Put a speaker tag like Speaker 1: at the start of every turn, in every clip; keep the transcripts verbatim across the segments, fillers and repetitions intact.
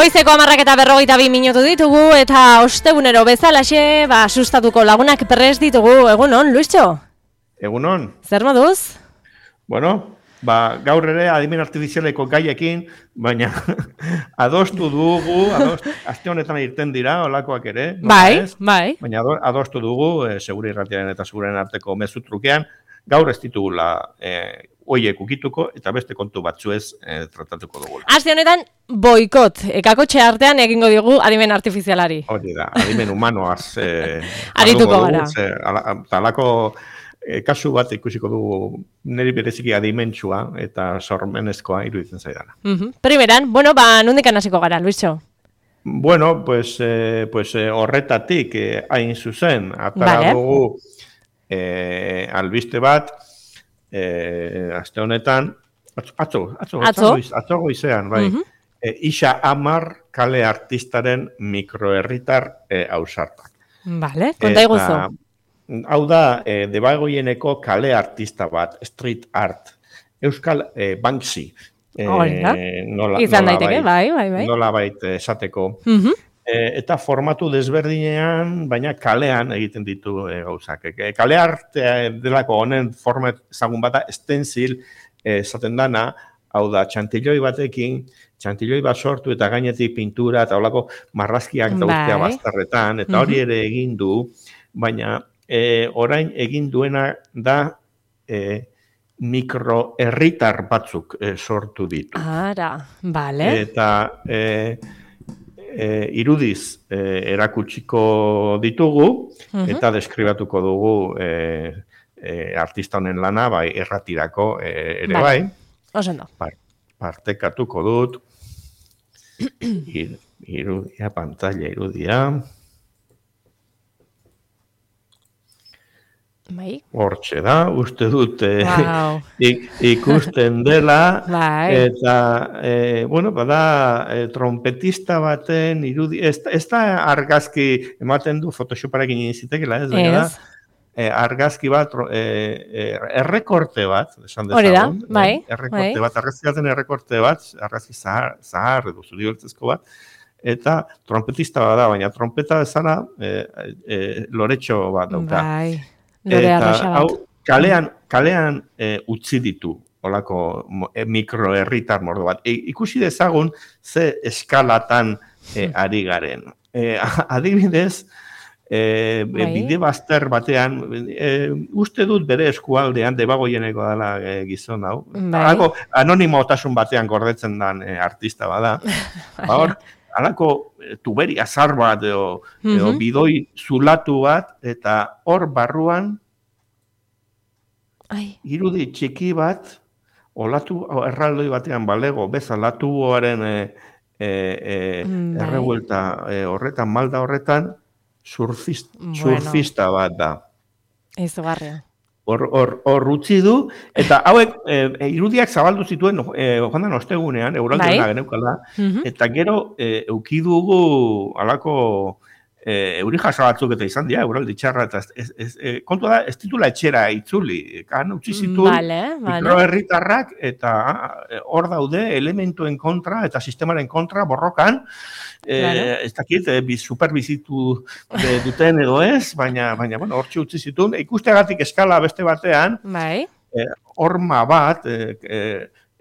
Speaker 1: Goizeko hamarrak eta berrogeita bi minutu ditugu eta ostegunero bezalaxe, ba, sustatuko lagunak prest ditugu. Egunon, Luistxo?
Speaker 2: Egunon.
Speaker 1: Zer moduz?
Speaker 2: Bueno, ba, gaur ere adimen artifizialeko gaiekin, baina adostu dugu, adostu, aste honetan irten dira, olakoak ere.
Speaker 1: Bai, bai.
Speaker 2: Baina adostu dugu, e, segure irratiaren eta seguren arteko mezu trukean, gaur ez ditugula e, oiek ukituko eta beste kontu batzuez e, tratatuko dugu.
Speaker 1: Aste honetan, boikot, ekakotxe artean egingo digu adimen artifizialari.
Speaker 2: Hori da, adimen humanoaz. E,
Speaker 1: Arituko gara.
Speaker 2: Talako e, kasu bat ikusiko dugu niri bereziki adimentsua eta sormenezkoa iruditzen zaidana.
Speaker 1: Uh-huh. Primeran, bueno, ba, nundikan hasiko gara, Luistxo?
Speaker 2: Bueno, pues, eh, pues eh, horretatik eh, hain zuzen, atara
Speaker 1: vale.
Speaker 2: dugu eh, albiste bat, eh, aste honetan, atzo, atzo, atzo, atzo, atzo goizean, bai, uh-huh. eh, Ixa Amar kale artistaren mikroherritar eh, ausartak.
Speaker 1: Vale, konta iguzu.
Speaker 2: Hau da, eh, debagoieneko kale artista bat, street art, Euskal eh, Banksy.
Speaker 1: Eh, nola, izan daiteke, bai, bai, bai.
Speaker 2: Nola bait esateko.
Speaker 1: Uh-huh.
Speaker 2: eh, eta formatu desberdinean, baina kalean egiten ditu eh, gauzak. E, kale artea delako honen format ezagun bata, stencil esaten eh, dana, hau da, txantiloi batekin, txantiloi bat sortu eta gainetik pintura eta holako marrazkiak dauztea bai. Bastarretan, eta hori ere egin du, baina eh, orain egin duena da eh, mikroherritar batzuk eh, sortu ditu.
Speaker 1: Ara, bale.
Speaker 2: Eta eh, eh, irudiz eh, erakutsiko ditugu, uh-huh. eta deskribatuko dugu eh, eh, artista honen lana, bai, erratirako eh, ere bai.
Speaker 1: Osendo.
Speaker 2: Par, partekatuko dut. Ir, irudia, pantalla irudia.
Speaker 1: Bai.
Speaker 2: Hortxe da, uste dut eh,
Speaker 1: wow.
Speaker 2: ik, ikusten dela,
Speaker 1: bai.
Speaker 2: eta, eh, bueno, bada, eh, trompetista baten irudi, ez, ez da argazki ematen du Photoshoparekin izitekela, ez da, eh, argazki bat, eh, eh, errekorte bat, esan dezagun.
Speaker 1: Hori da, bai.
Speaker 2: Eh, errekorte
Speaker 1: bai.
Speaker 2: bat, argazki baten errekorte bat, argazki zahar, zahar edo zurioltzezko bat, eta trompetista bat da, baina trompeta bezala eh, eh, loretxo bat dauka.
Speaker 1: Bai.
Speaker 2: Eta hau, kalean, kalean e, utzi ditu, olako e, mikroherritar mordo bat. E, ikusi dezagun ze eskalatan e, ari garen. E, adibidez, e, bide bazter batean, e, uste dut bere eskualdean, debagoieneko dela e, gizon hau. Alako anonimotasun batean gordetzen den e, artista bada. Ba hor, alako tuberi azar bat, edo, mm-hmm. edo bidoi zulatu bat, eta hor barruan,
Speaker 1: Ai.
Speaker 2: irudi txiki bat, olatu erraldoi batean balego, bezala tuboaren e, e, e, errebuelta e, horretan, malda horretan, surfist, bueno. surfista bat da.
Speaker 1: Izugarria.
Speaker 2: Hor, hor, hor utzi du, eta hauek e, irudiak zabaldu zituen e, joan ostegunean, euraldean bai. Geneukala, mm-hmm. eta gero e, eukidugu alako e, euri jasa batzuk eta izan dira, euraldi txarra, eta ez, ez, ez, kontu da, ez titula etxera itzuli, kan utzi zituen
Speaker 1: vale, vale.
Speaker 2: mikroherritarrak, eta hor daude elementuen kontra, eta sistemaren kontra, borrokan, Eh, ez dakit, eh, superbizitu duten edo ez, baina, baina bueno, hortxe utzi zituen. Ikusteagatik eskala beste batean,
Speaker 1: bai.
Speaker 2: eh, horma bat, eh,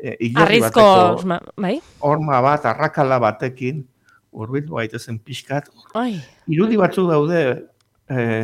Speaker 2: eh,
Speaker 1: Arrizko, bai.
Speaker 2: Horma bat, arrakala batekin, urbildu gaitezen pixkat. Ai. Irudi batzuk daude, eh,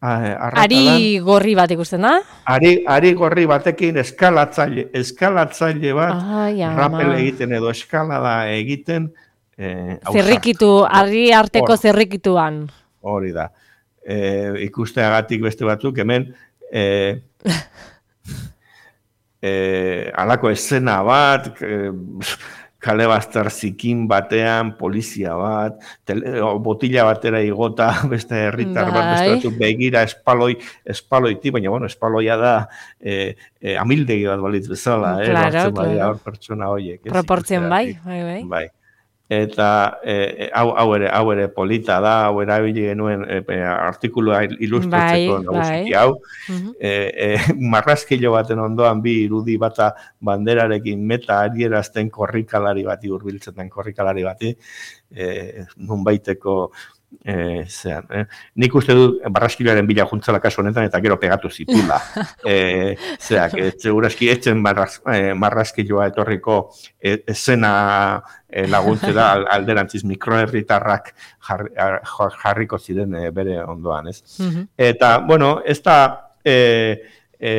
Speaker 2: arrakalan.
Speaker 1: Ari gorri bat ikusten da?
Speaker 2: Ari, ari gorri batekin eskalatzaile, eskalatzaile bat, Ai, rapel egiten edo eskalada egiten, Eh,
Speaker 1: zerrikitu, argi arteko Or, zerrikituan.
Speaker 2: Hori da. Eh, ikusteagatik beste batzuk, hemen eh, eh, alako escena bat, eh, kale bazter zikin batean, polizia bat, tele, botila batera igota, beste herritar bat, beste batzuk begira espaloi, espaloiti, baina bueno, espaloia da eh, eh, amildegi bat balitz bezala,
Speaker 1: claro,
Speaker 2: eh,
Speaker 1: claro.
Speaker 2: hor pertsona horiek.
Speaker 1: Proportzen bai, bai, bai.
Speaker 2: bai. eta e, hau, hau, ere, hau ere polita da, hau erabili genuen e, artikulua ilustratzeko
Speaker 1: bai,
Speaker 2: nagusiki
Speaker 1: bai.
Speaker 2: hau, e, e, marrazkilo baten ondoan bi irudi bata banderarekin meta adierazten korrikalari bati, hurbiltzen den korrikalari bati, e, nunbaiteko E, zean, eh? Nik uste du barraskiloaren bila juntzala kasu honetan eta gero pegatu zitula. e, zeak, segurazki etzen marraz, e, marraskiloa etorriko e, esena e, laguntzera alderantziz mikroherritarrak jarri, jarriko ziren e, bere ondoan, ez? Mm-hmm. Eta, bueno, ez da e, e,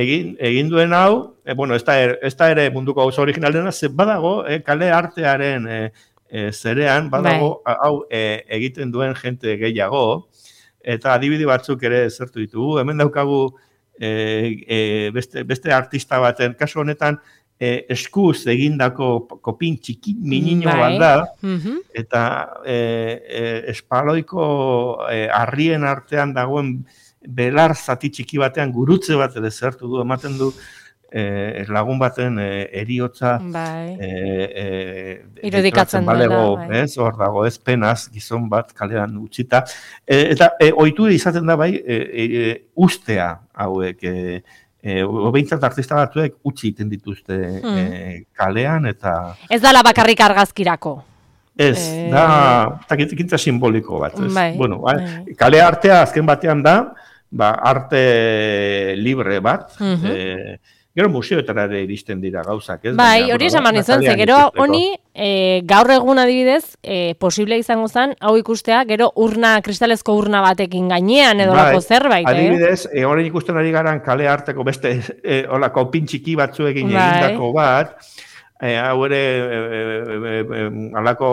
Speaker 2: egin, egin duen hau, e, bueno, ez da, er, ez da ere munduko gauza original dena, ze badago e, kale artearen e, E, zerean, badago, bai. hau e, egiten duen jente gehiago, eta adibide batzuk ere zertu ditugu. Hemen daukagu e, e, beste, beste artista baten, kasu honetan, e, eskuz egindako kopin txiki minino bai. bat da, mm-hmm. eta e, e, espaloiko e, harrien artean dagoen belar zati txiki batean gurutze bat ere zertu du, ematen du, Eh, lagun baten eh, eriotza
Speaker 1: bai.
Speaker 2: eh, eh,
Speaker 1: irudikatzen
Speaker 2: balego, bai. Ez, hor dago, ez penaz, gizon bat kalean utzita. Eh, eta eh, ohitu izaten da bai, eh, eh, ustea hauek, eh, eh, obeintzat artista batzuek utzi egiten dituzte mm. eh, kalean, eta...
Speaker 1: Ez dala bakarrik argazkirako.
Speaker 2: Ez, e... da, takitza simboliko bat. Ez?
Speaker 1: Bai,
Speaker 2: bueno, bai. Kale artea azken batean da, ba, arte libre bat, mm-hmm. eh, gero museoetara ere iristen dira gauzak, ez?
Speaker 1: Bai, hori esan mani zen, ze gero honi e, gaur egun adibidez e, posible izango zen, hau ikustea, gero urna, kristalezko urna batekin gainean edo bai, lako zerbait, eh?
Speaker 2: Adibidez, e, horren ikusten ari garan kale arteko beste e, olako pintxiki batzuekin bai. egindako bat, e, hau ere e, e, e, alako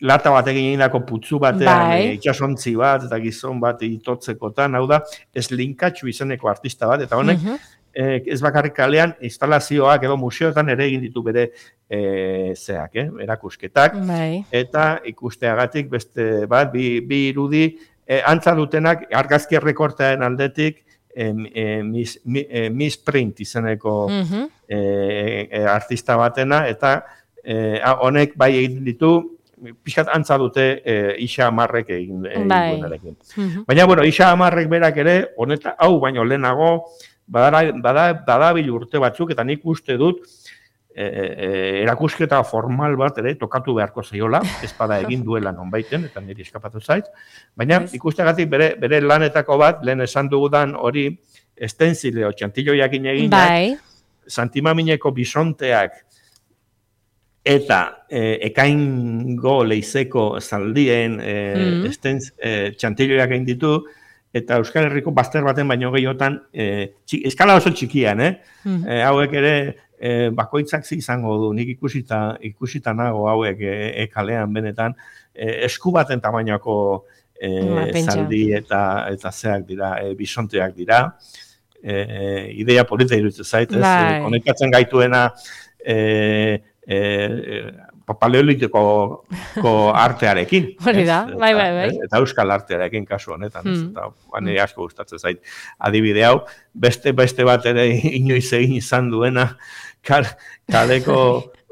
Speaker 2: lata batekin egindako putzu batean, bai. e, itxasontzi bat, eta gizon bat itotzekotan, hau da, ez linkatxu izeneko artista bat, eta honek, uh-huh. Eh, ez bakarrik kalean, instalazioak edo museoetan ere egin ditu bere eh, zeak, eh, erakusketak. Bai. Eta ikusteagatik beste bat, bi, bi irudi, eh, antza dutenak argazki errekortearen aldetik eh, eh, mis, mi, eh, misprint izeneko uh-huh. eh, eh, artista batena, eta eh, honek bai egin ditu, pixkat antza dute eh, Ixa Amarrek egin, egin bai. duenarekin. Uh-huh. Baina, bueno, Ixa Amarrek berak ere, honeta, hau baino lehenago, Bada, bada, badabil urte batzuk, eta nik uste dut e, e, erakusketa formal bat ere tokatu beharko zaiola, ez bada egin duela nonbaiten, eta niri eskapatu zait. Baina ikustegatik bere, bere lanetako bat, lehen esan dugudan hori, estenzileo, txantilloiakin eginak, bai. Santimamineko bisonteak, eta e, ekaingo leizeko zaldien e, mm. estenz, e, txantilloiak egin ditu, eta Euskal Herriko bazter baten baino gehiotan, eh, txik, eskala oso txikian, eh? Mm-hmm. eh hauek ere eh, bakoitzak izango du, nik ikusita, ikusita nago hauek eh, e kalean benetan, eh, esku baten tamainako eh, zaldi eta eta zeak dira, eh, bisonteak dira, eh, ideia polita iruditzen zait, ez? Eh, konekatzen gaituena, eh, eh, paleolitiko artearekin.
Speaker 1: Hori da, bai, bai, bai.
Speaker 2: Eta euskal artearekin kasu honetan. Mm. Eta bane asko gustatzen zait adibide hau. Beste beste bat ere inoiz egin izan duena, kaleko,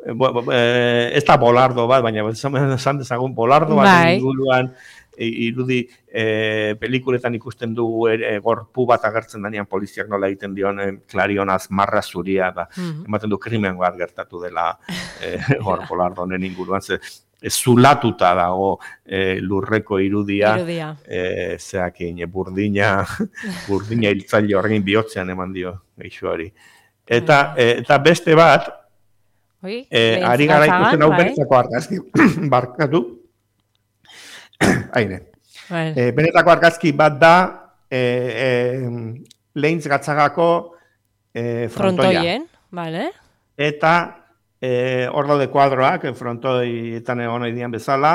Speaker 2: ez da bolardo bat, baina esan dezagun bolardo bat bai. inguruan, irudi e, pelikuletan ikusten dugu e, gorpu bat agertzen denean poliziak nola egiten dion e, klarionaz marra zuria, da, mm-hmm. ematen du krimen bat gertatu dela e, gorpolardo honen inguruan, ze e, zulatuta dago e, lurreko irudia, irudia. E, zeakin, e, burdina, burdina hiltzaile horrein bihotzean eman dio geixuari. Eta, e, eta beste bat, Oi, e, ari gara ikusten hau benetako argazki, barkatu, Aire. Bueno. E, benetako argazki bat da e, e, Leintz Gatzagako e, frontoia.
Speaker 1: Frontoien, vale.
Speaker 2: Eta e, hor daude kuadroak, frontoietan egon dian bezala,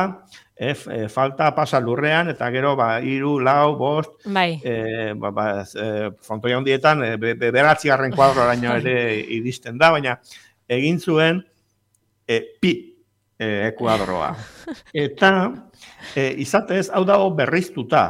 Speaker 2: e, e, falta pasa lurrean, eta gero ba, iru, lau, bost, bai. e, ba, ba, e, frontoia hondietan, e, be, be, beratzigarren kuadroaraino ere iristen da, baina egin zuen e, pi e, kuadroa. Eta E, izatez, hau dago berriztuta.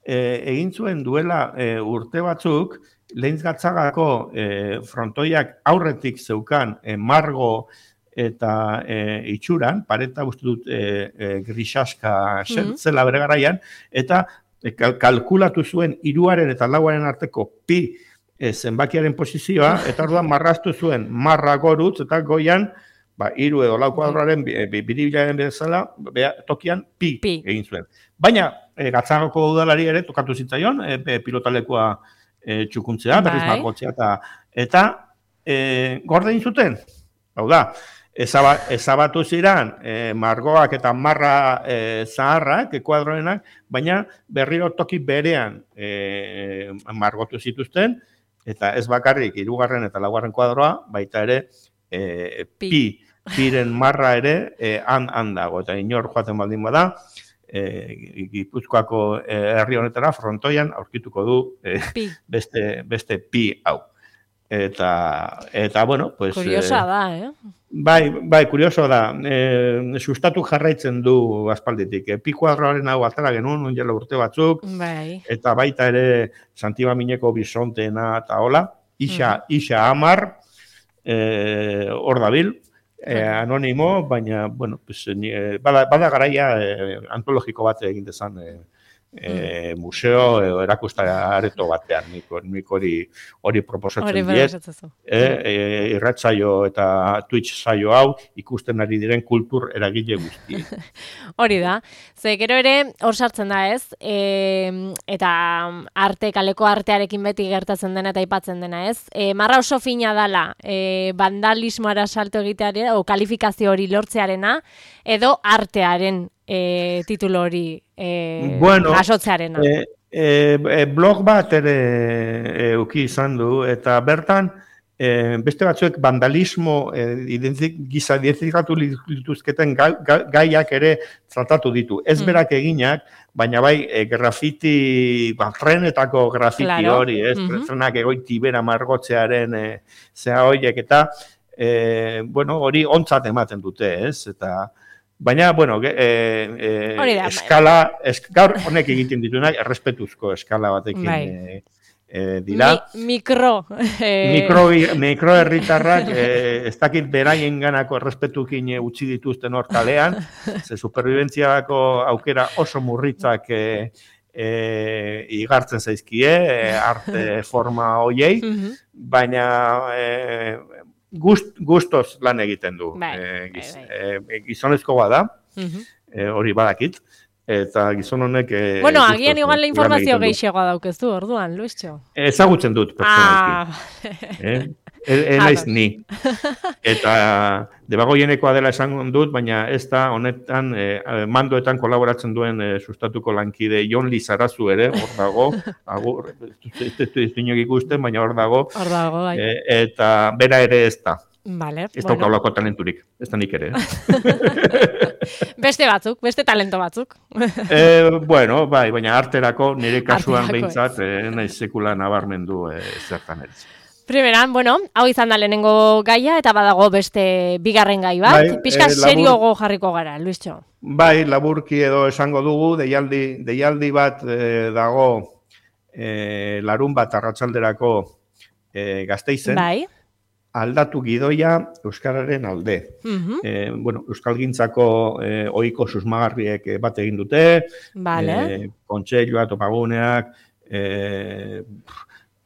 Speaker 2: E, egin zuen duela e, urte batzuk, Leintz Gatzagako e, frontoiak aurretik zeukan e, margo eta e, itxuran, pareta uste dut e, e, grisaska mm-hmm. zela bere garaian, eta e, kalkulatu zuen hiruaren eta lauaren arteko pi e, zenbakiaren posizioa, eta orduan marraztu zuen marra gorutz, eta goian, ba, hiru edo lau kuadroaren biribilaren bezala, tokian pi, pi egin zuen. Baina, e, Gatzagoko udalari ere tokatu zitzaion, e, pilotalekua e, txukuntzea, berriz margotzea, eta, eta e, gorde egin zuten. Hau da, ezaba, ezabatu ziren e, margoak eta marra e, zaharrak, ekuadroenak, baina berriro toki berean e, margotu zituzten, eta ez bakarrik hirugarren eta laugarren kuadroa, baita ere e, pi. pi, piren marra ere e, han, han dago, eta inor joaten baldin bada, e, Gipuzkoako e, herri honetara, frontoian, aurkituko du e, beste, beste pi hau. Eta, eta bueno, pues...
Speaker 1: Kuriosa da, eh?
Speaker 2: Bai, bai, kurioso da. E, sustatu jarraitzen du aspalditik. E, pi kuadroaren hau atara genuen, onjela urte batzuk,
Speaker 1: bai.
Speaker 2: Eta baita ere Santibamineko bisonteena eta hola, isa, mm. isa amar, hor e, dabil, e, anonimo, baina, bueno, pues, e, bada, bada garaia e, antologiko bat egin dezan, e, E, museo edo erakusta areto batean nik hori hori proposatzen diet e, e, irratsaio eta Twitch saio hau ikusten ari diren kultur eragile guzti.
Speaker 1: Hori da, ze gero ere hor sartzen da ez e, eta arte, kaleko artearekin beti gertatzen dena eta aipatzen dena ez e, marra oso fina dala e, vandalismoara salto egitearen o kalifikazio hori lortzearena edo artearen E, titulo hori e,
Speaker 2: bueno,
Speaker 1: asotzearena.
Speaker 2: E, e, blog bat ere euki izan du, eta bertan e, beste batzuek vandalismo e, identik, giza identifikatu lituzketen ga, ga, gaiak ere tratatu ditu. Ez berak eginak, baina bai e, grafiti, ba, trenetako grafiti claro. Hori, ez? Mm-hmm. Trenak egoiti bera margotzearen e, zea horiek, eta e, bueno, hori ontzat ematen dute, ez? Eta baina, bueno, e, e, eskala, esk, gaur honek egiten dituenak, errespetuzko eskala batekin e, e, dira.
Speaker 1: Mi, mikro. E...
Speaker 2: Mikro, mikro herritarrak, e, ez dakit beraien ganako errespetukin utzi dituzten hor kalean, ze superviventziako aukera oso murritzak e, e, igartzen zaizkie, e, arte forma hoiei, baina... E, Gust, gustos lan egiten du.
Speaker 1: Bai,
Speaker 2: e, giz,
Speaker 1: bai, bai.
Speaker 2: E, gizonezkoa da,
Speaker 1: uh-huh.
Speaker 2: e, hori badakit, eta gizon honek... E,
Speaker 1: bueno, agian igual la informazio gehiagoa daukeztu, orduan, Luistxo.
Speaker 2: Ezagutzen dut, pertsonalki.
Speaker 1: Ah.
Speaker 2: eh? E, naiz ni. Eta debagoienekoa dela esan dut, baina ez da honetan e, mandoetan kolaboratzen duen e, sustatuko lankide Jon Lizarazu ere, hor dago, agur, ez dut ikusten, baina hor dago,
Speaker 1: hor dago bai.
Speaker 2: e, eta bera ere ez da.
Speaker 1: Vale,
Speaker 2: ez bueno. Daukaulako talenturik, ez da nik ere.
Speaker 1: Beste batzuk, beste talento batzuk.
Speaker 2: e, bueno, bai, baina arterako nire kasuan behintzat, e, naiz sekula nabarmendu e, zertan ere.
Speaker 1: Primeran, bueno, hau izan da lehenengo gaia, eta badago beste bigarren gai bat. Bai, Pizka eh, seriogo jarriko gara, Luistxo.
Speaker 2: Bai, laburki edo esango dugu, deialdi, deialdi bat eh, dago eh, larun bat arratsalderako eh, Gasteizen.
Speaker 1: Bai.
Speaker 2: Aldatu gidoia Euskararen alde.
Speaker 1: Uh-huh.
Speaker 2: eh, bueno, Euskalgintzako eh, ohiko susmagarriek bat egin dute,
Speaker 1: vale.
Speaker 2: eh, kontseilua, topaguneak, eh,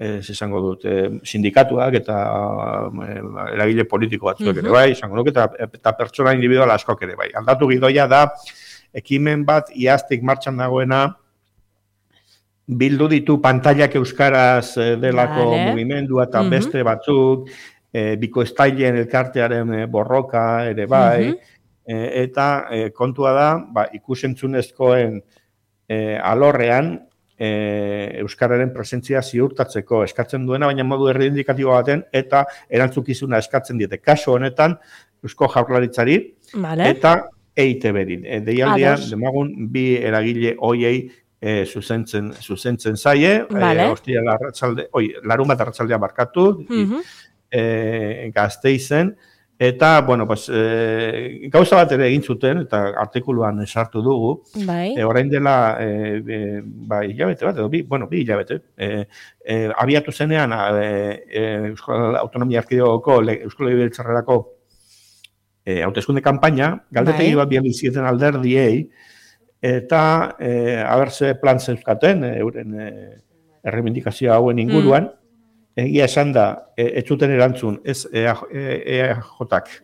Speaker 2: ez izango dut, e, sindikatuak eta e, eragile politiko batzuek uh-huh. ere bai, izango dut, eta, eta pertsona individual askok ere bai. Aldatu gidoia da, ekimen bat iaztik martxan dagoena, bildu ditu pantailak euskaraz delako vale. Mugimendua eta uh-huh. beste batzuk, e, bikoiztailen elkartearen borroka ere bai, uh-huh. e, eta e, kontua da, ba, ikusentzunezkoen e, alorrean, E, euskararen presentzia ziurtatzeko eskatzen duena, baina modu erreindikatibo baten eta erantzukizuna eskatzen diete. Kasu honetan, Eusko Jaurlaritzari
Speaker 1: vale.
Speaker 2: Eta E I Te Berin. E, deialdian, demagun, bi eragile hoiei e, zuzentzen, zuzentzen zaie,
Speaker 1: vale.
Speaker 2: e, ostia larratxalde, oi, larun bat arratsaldean barkatu,
Speaker 1: uh-huh.
Speaker 2: e, Gasteizen, eta, bueno, pues, e, gauza bat ere egin zuten, eta artikuluan esartu dugu,
Speaker 1: bai.
Speaker 2: e, orain dela, e, e, bai, hilabete bat, edo, bi, bueno, bi hilabete, e, e, abiatu zenean, e, e, Euskal Autonomia Erkidegoko Euskal Legebiltzarrerako e, hauteskunde kanpaina, galdetegi bat bian bizieten alderdiei, eta e, abertze plan zeuzkaten, e, euren e, errebindikazioa hauen inguruan, mm. egia esan da, e, ez zuten erantzun, ez E A J-ak,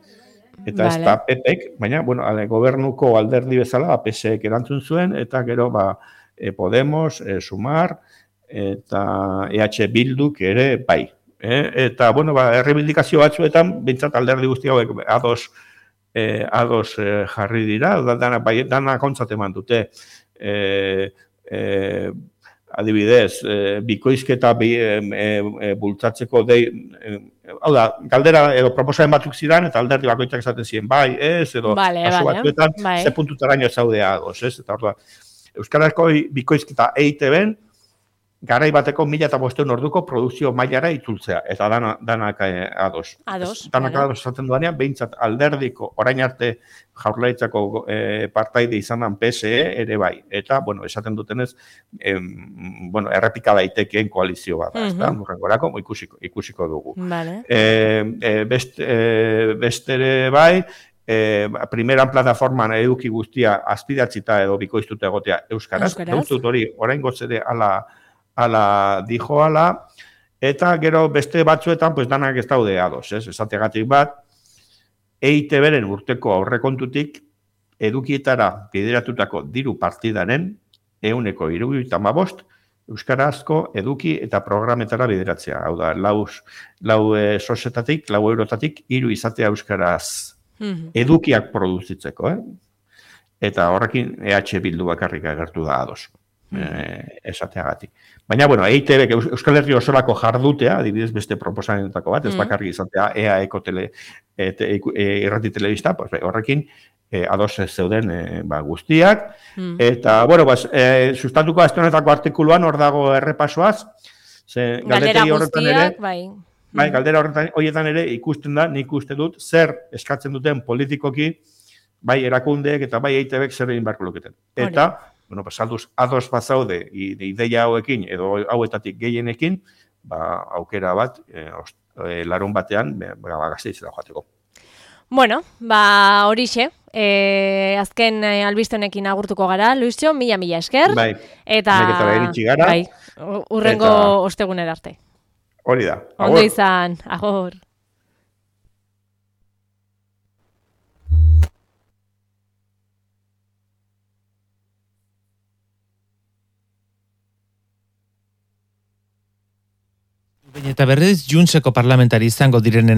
Speaker 2: eta vale. Ez da P P-ek, baina, bueno, ale, gobernuko alderdi bezala, P S E-ek erantzun zuen, eta gero, ba, e, Podemos, e, Sumar, eta E H Bilduk ere, bai. E, eta, bueno, ba, errebindikazio batzuetan, bintzat alderdi guzti hauek ados, e, ados e, jarri dira, dana, bai, dana kontzat eman dute, e, e, adibidez, e, bikoizketa bi, e, e, bultzatzeko dei, e, hau da, galdera edo proposamen batzuk zidan, eta alderdi bakoitzak esaten ziren, bai, ez, edo
Speaker 1: vale,
Speaker 2: kasu
Speaker 1: vale,
Speaker 2: batzuetan,
Speaker 1: bai.
Speaker 2: ze puntutaraino zaudea ados, ez, eta hor da, Euskarazko bikoizketa E I T B-en, garai bateko mila eta bosteun orduko produkzio mailara itzultzea, eta dana, danak eh, ados.
Speaker 1: Ados,
Speaker 2: es, danak
Speaker 1: vale.
Speaker 2: ados esaten duanean, behintzat alderdiko, orain arte jaurlaritzako eh, partaide izanan P S E ere bai. Eta, bueno, esaten dutenez, em, bueno, errepika daitekeen koalizio bat, uh-huh. ezta? Murrengorako ikusiko, ikusiko dugu.
Speaker 1: Vale.
Speaker 2: E, e, best, e, bestere bai, E, primeran plataforman eduki guztia azpidatzita edo bikoiztuta egotea euskaraz. Euskaraz. Dut hori, orain gotzede ala, ala dijo ala, eta gero beste batzuetan, pues danak ez daude ados, ez? Esategatik bat, E I T B-ren urteko aurrekontutik edukietara bideratutako diru partidaren ehuneko hirurogeita hamabost euskarazko eduki eta programetara bideratzea. Hau da, lau, lau e, sosetatik, lau eurotatik, hiru izatea euskaraz edukiak produzitzeko, eh? Eta horrekin E H Bildu bakarrik agertu da ados, eh, esateagatik. Baina, bueno, E I T B, Euskal Herri osorako jardutea, adibidez beste proposamenetako bat, ez bakarrik izatea E A E-ko tele, e, te, e, irrati telebista, pues, horrekin eh, ados zeuden eh, ba, guztiak, mm. eta, bueno, pues, eh, sustatuko astonetako artikuluan hor dago errepasoaz, ze
Speaker 1: galdera guztiak, bai.
Speaker 2: Bai, galdera horretan, horietan ere ikusten da, nik uste dut, zer eskatzen duten politikoki, bai erakundeek eta bai E I T B-ek zer egin beharko luketen. Eta, bueno, pues, alduz, ados bat zaude, ideia hauekin, edo hauetatik gehienekin, ba, aukera bat, e, e, larun batean, ba, Gasteiz da joateko.
Speaker 1: Bueno, ba, horixe, e, azken e, albistenekin agurtuko gara, Luisio, mila-mila esker.
Speaker 2: Bai,
Speaker 1: eta,
Speaker 2: gara.
Speaker 1: Bai, urrengo eta... ostegunera arte.
Speaker 2: Hori da.
Speaker 1: Ondo izan, agor.
Speaker 3: Eta berriz, Juntseko parlamentari izango direnen